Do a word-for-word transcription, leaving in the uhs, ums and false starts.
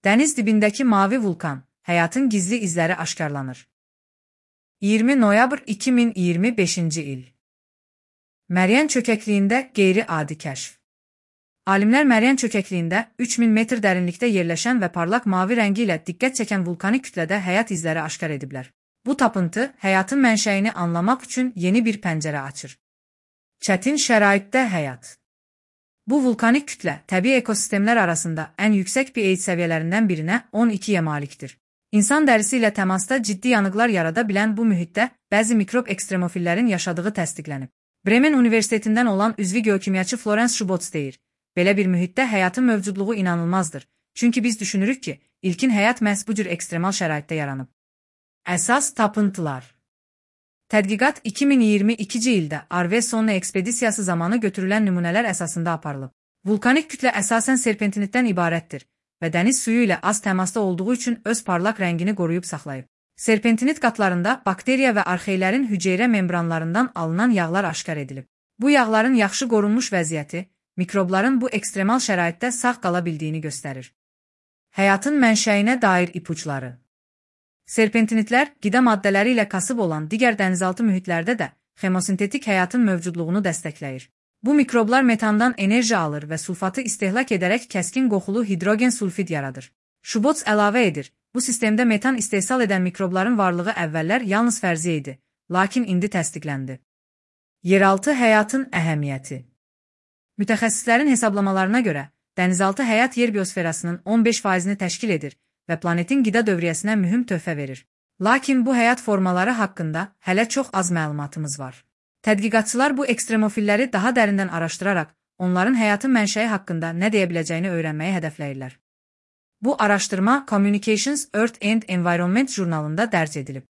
Dəniz dibindəki mavi vulkan, həyatın gizli izləri aşkarlanır. iyirmi noyabr iki min iyirmi beşinci il. Məryan çökəkliyində qeyri-adi kəşf. Alimlər Məryan çökəkliyində üç min metr dərinlikdə yerləşən və parlaq mavi rəngi ilə diqqət çəkən vulkanik kütlədə həyat izləri aşkar ediblər. Bu tapıntı həyatın mənşəyini anlamaq üçün yeni bir pəncərə açır. Çətin şəraitdə həyat. Bu vulkanik kütlə təbii ekosistemlər arasında ən yüksək pH səviyyələrindən birinə on ikiyə malikdir. İnsan dərisi ilə təmasda ciddi yanıqlar yarada bilən bu mühitdə bəzi mikrob ekstremofillərin yaşadığı təsdiqlənib. Bremen Universitetindən olan üzvi geokimyaçı Florence Schubotz deyir, belə bir mühitdə həyatın mövcudluğu inanılmazdır, çünki biz düşünürük ki, ilkin həyat məhz bu cür ekstremal şəraitdə yaranıb. Əsas tapıntılar. Tədqiqat iki min iyirmi ikinci ildə Arve Sonne ekspedisiyası zamanı götürülən nümunələr əsasında aparılıb. Vulkanik kütlə əsasən serpentinitdən ibarətdir və dəniz suyu ilə az təmasda olduğu üçün öz parlaq rəngini qoruyub saxlayıb. Serpentinit qatlarında bakteriya və arxeylərin hüceyrə membranlarından alınan yağlar aşkar edilib. Bu yağların yaxşı qorunmuş vəziyyəti, mikrobların bu ekstremal şəraitdə sağ qala bildiyini göstərir. Həyatın mənşəyinə dair ipuçları. Serpentinitlər qida maddələri ilə kasıb olan digər dənizaltı mühitlərdə də xemosintetik həyatın mövcudluğunu dəstəkləyir. Bu mikroblar metandan enerji alır və sulfatı istehlak edərək kəskin qoxulu hidrogen sulfid yaradır. Schubotz əlavə edir, bu sistemdə metan istehsal edən mikrobların varlığı əvvəllər yalnız fərziyyə idi, lakin indi təsdiqləndi. Yeraltı həyatın əhəmiyyəti. Mütəxəssislərin hesablamalarına görə, dənizaltı həyat yer biosferasının on beş faizini təşkil edir və planetin qida dövriyyəsinə mühüm töhfə verir. Lakin bu həyat formaları haqqında hələ çox az məlumatımız var. Tədqiqatçılar bu ekstremofilləri daha dərindən araşdıraraq, onların həyatın mənşəyi haqqında nə deyə biləcəyini öyrənməyi hədəfləyirlər. Bu araşdırma Communications, Earth and Environment jurnalında dərc edilib.